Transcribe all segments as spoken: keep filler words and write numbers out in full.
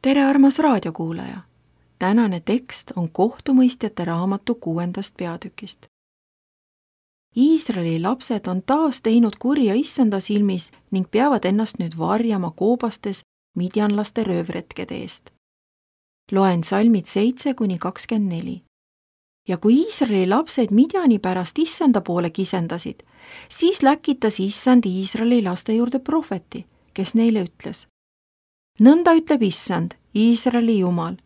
tere, armas raadiokuulaja! Tänane tekst on kohtumõistjate raamatu kuuendast peatükist. Iisraeli lapsed on taas teinud kurja issanda silmis ning peavad ennast nüüd varjama koobastes midjanlaste röövretkede eest. Loen salmid seitse kuni kakskümmend neli. Ja kui Iisraeli lapsed Midjani pärast issanda poole kisendasid, siis läkitas issand Iisraeli laste juurde prohveti, kes neile ütles: nõnda ütleb issand, Iisraeli Jumal,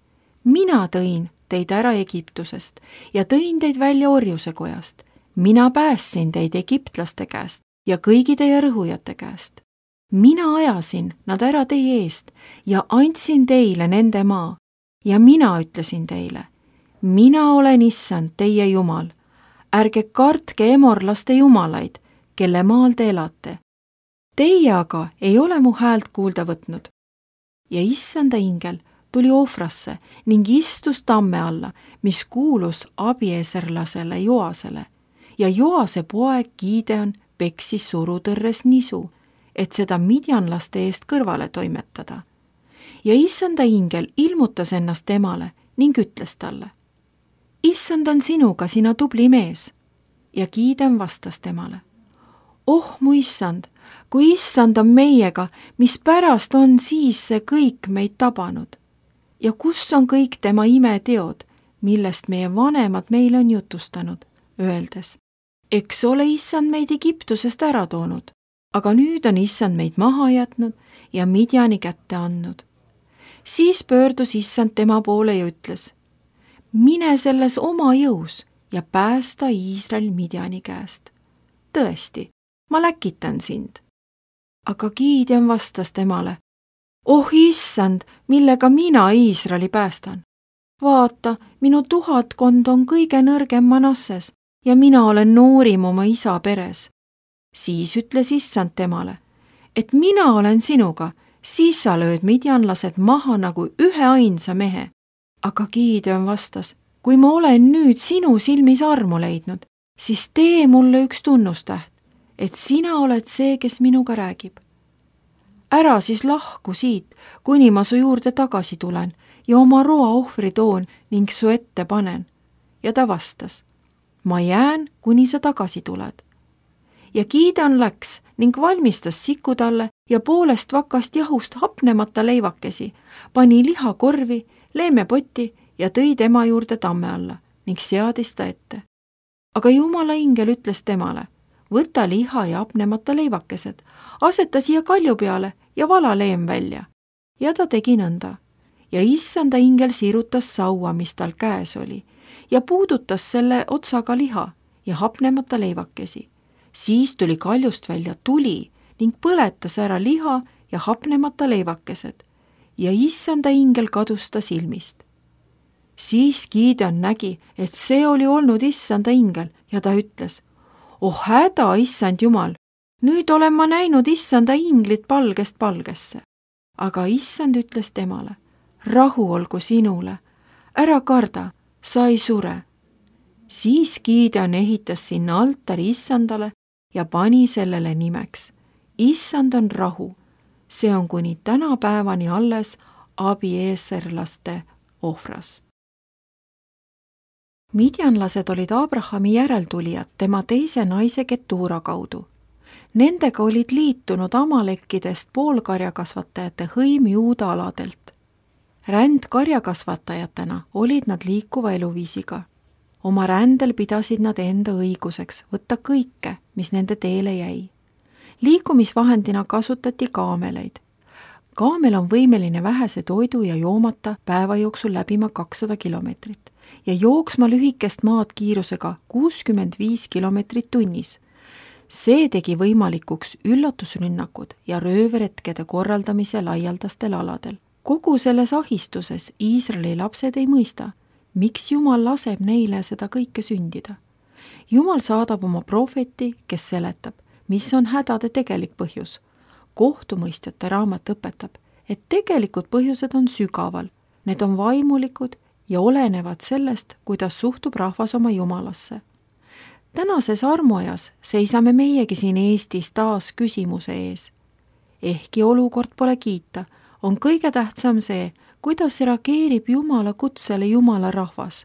mina tõin teid ära Egiptusest ja tõin teid välja orjuse kojast. Mina päästsin teid egiptlaste käest ja kõigi teie rõhujate käest. Mina ajasin nad ära teie eest ja andsin teile nende maa ja mina ütlesin teile, mina olen issand teie Jumal. Ärge kartke emorlaste jumalaid, kelle maal te elate. Teie aga ei ole mu häält kuulda võtnud. Ja issanda ingel tuli Ofrasse ning istus tamme alla, mis kuulus abieserlasele Joasele, ja Joase poeg Gideon peksis surutõrres nisu, et seda midjanlaste eest kõrvale toimetada. Ja issanda ingel ilmutas ennast temale ning ütles talle: issand on sinuga, sina tubli mees. Ja Gideon vastas temale: oh mu issand, kui issand on meiega, mis pärast on siis see kõik meid tabanud? Ja kus on kõik tema imeteod, millest meie vanemad meile on jutustanud, öeldes: eks ole issand meid Egiptusest ära toonud, aga nüüd on issand meid maha jätnud ja Midjani kätte andnud. Siis pöördus issand tema poole ja ütles: mine selles oma jõus ja päästa Iisrael Midjani käest. Tõesti, ma läkitan sind. Aga Gideon vastas temale: oh issand, millega mina Iisraeli päästan? Vaata, minu tuhatkond on kõige nõrgem Manasses ja mina olen noorim oma isa peres. Siis ütles issand temale, et mina olen sinuga, siis sa lööd midjanlased maha nagu ühe ainsa mehe. Aga Gideon vastas: kui ma olen nüüd sinu silmis armu leidnud, siis tee mulle üks tunnustäht, et sina oled see, kes minuga räägib. Ära siis lahku siit, kuni ma su juurde tagasi tulen ja oma roa ohvri toon ning su ette panen. Ja ta vastas: ma jään, kuni sa tagasi tuled. Ja Gideon läks ning valmistas sikutalle ja poolest vakast jahust hapnemata leivakesi, pani lihakorvi, leemepoti ja tõi tema juurde tamme alla ning seadis ta ette. Aga Jumala ingel ütles temale: võta liha ja hapnemata leivakesed, aseta siia kalju peale ja vala leem välja. Ja ta tegi nõnda. Ja issanda ingel sirutas saua, mis tal käes oli, ja puudutas selle otsaga liha ja hapnemata leivakesi. Siis tuli kaljust välja tuli ning põletas ära liha ja hapnemata leivakesed ja issanda ingel kadus ta silmist. Siis Gideon nägi, et see oli olnud issanda ingel ja ta ütles: oh häda, issand Jumal, nüüd olen ma näinud issanda inglit palgest palgesse. Aga issand ütles temale: rahu olgu sinule, ära karda, sa ei sure. Siis Gideon ehitas sinna altari issandale ja pani sellele nimeks: issand on rahu. See on kuni tänapäevani alles abieserlaste Ofras. Midjanlased olid Abrahami järeltulijad tema teise naise Ketura kaudu. Nendega olid liitunud amalekkidest poolkarjakasvatajate hõim Juuda aladelt. Ränd karjakasvatajatena olid nad liikuva eluviisiga. Oma rändel pidasid nad enda õiguseks võtta kõike, mis nende teele jäi. Liikumisvahendina kasutati kaameleid. Kaamel on võimeline vähese toidu ja joomata päeva jooksul läbima kakssada kilomeetrit ja jooksma lühikest maad kiirusega kuuskümmend viis kilomeetrit tunnis. See tegi võimalikuks üllatusrünnakud ja röövretkede korraldamise laialdastel aladel. Kogu selles ahistuses Iisraeli lapsed ei mõista, miks Jumal laseb neile seda kõike sündida. Jumal saadab oma prohveti, kes seletab, mis on hädade tegelik põhjus. Kohtumõistjate raamat õpetab, et tegelikud põhjused on sügaval, need on vaimulikud ja olenevad sellest, kuidas suhtub rahvas oma Jumalasse. Tänases armuajas seisame meiegi siin Eestis taas küsimuse ees. Ehkki olukord pole kiita, on kõige tähtsam see, kuidas reageerib Jumala kutsele Jumala rahvas.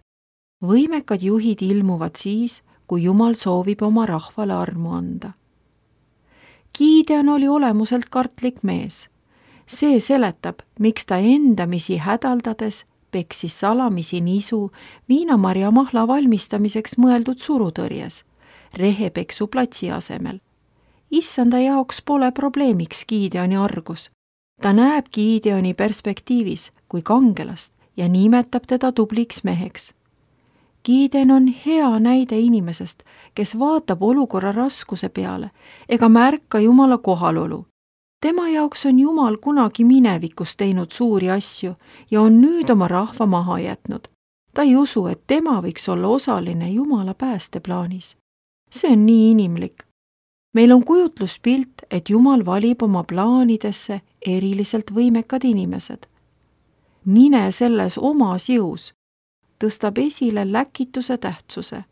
Võimekad juhid ilmuvad siis, kui Jumal soovib oma rahvale armu anda. Gideon oli olemuselt kartlik mees. See seletab, miks ta endamisi hädaldades peksis salamisi nisu viinamarja mahla valmistamiseks mõeldud surutõrjes, rehepeksu platsi asemel. Issanda jaoks pole probleemiks Gideoni argus. Ta näeb Gideoni perspektiivis kui kangelast ja nimetab teda tubliks meheks. Gideon on hea näide inimesest, kes vaatab olukorra raskuse peale ega märka Jumala kohalolu. Tema jaoks on Jumal kunagi minevikus teinud suuri asju ja on nüüd oma rahva maha jätnud. Ta ei usu, et tema võiks olla osaline Jumala päästeplaanis. See on nii inimlik. Meil on kujutluspilt, et Jumal valib oma plaanidesse eriliselt võimekad inimesed. Mine selles omas jõus, tõstab esile läkituse tähtsuse.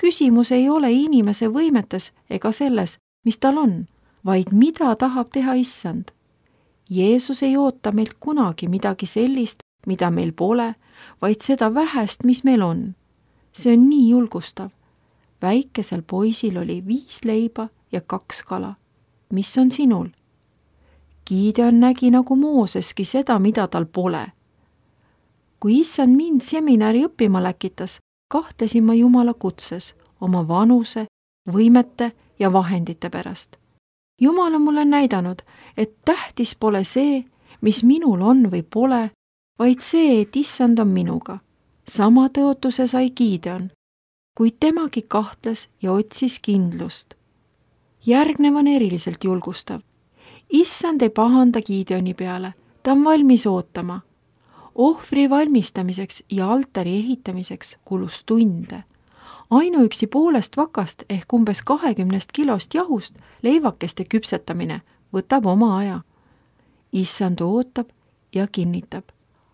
Küsimus ei ole inimese võimetes ega selles, mis tal on, vaid mida tahab teha Issand. Jeesus ei oota meilt kunagi midagi sellist, mida meil pole, vaid seda vähest, mis meil on. See on nii julgustav. Väikesel poisil oli viis leiba ja kaks kala. Mis on sinul? Gideon nägi nagu Mooseski seda, mida tal pole. Kui Issand mind seminari õppima läkitas, kahtlesin ma Jumala kutses, oma vanuse, võimete ja vahendite pärast. Jumal on mulle näidanud, et tähtis pole see, mis minul on või pole, vaid see, et Issand on minuga. Sama tõotuse sai Gideon, kuid temagi kahtles ja otsis kindlust. Järgnev on eriliselt julgustav. Issand ei pahanda Gideoni peale, ta on valmis ootama. Ohvri valmistamiseks ja altari ehitamiseks kulus tunde. Ainuüksi poolest vakast ehk umbes kahekümnest kilost jahust leivakeste küpsetamine võtab oma aja. Issand ootab ja kinnitab.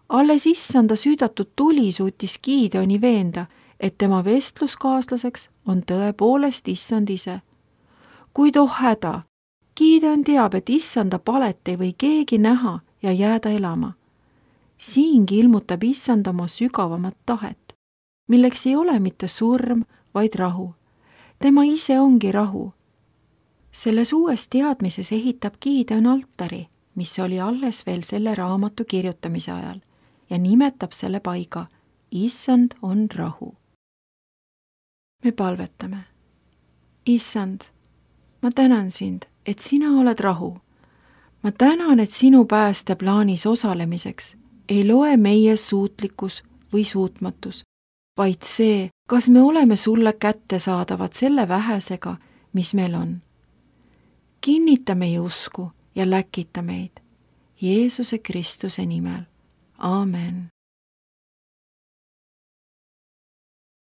Alles Issanda süüdatud tuli suutis Gideoni veenda, et tema vestluskaaslaseks on tõepoolest Issand ise. Kuid oh häda, Gideon teab, et Issanda palet ei või keegi näha ja jääda elama. Siingi ilmutab Issand oma sügavamat tahet, milleks ei ole mitte surm, vaid rahu. Tema ise ongi rahu. Selles uues teadmises ehitab Gideon altari, mis oli alles veel selle raamatu kirjutamise ajal, ja nimetab selle paiga Issand on rahu. Me palvetame. Issand, ma tänan sind, et sina oled rahu. Ma tänan, et sinu päästeplaanis osalemiseks ei loe meie suutlikkus või suutmatus, vaid see, kas me oleme sulle kättesaadavad selle vähesega, mis meil on. Kinnita meie usku ja läkita meid Jeesuse Kristuse nimel. Aamen.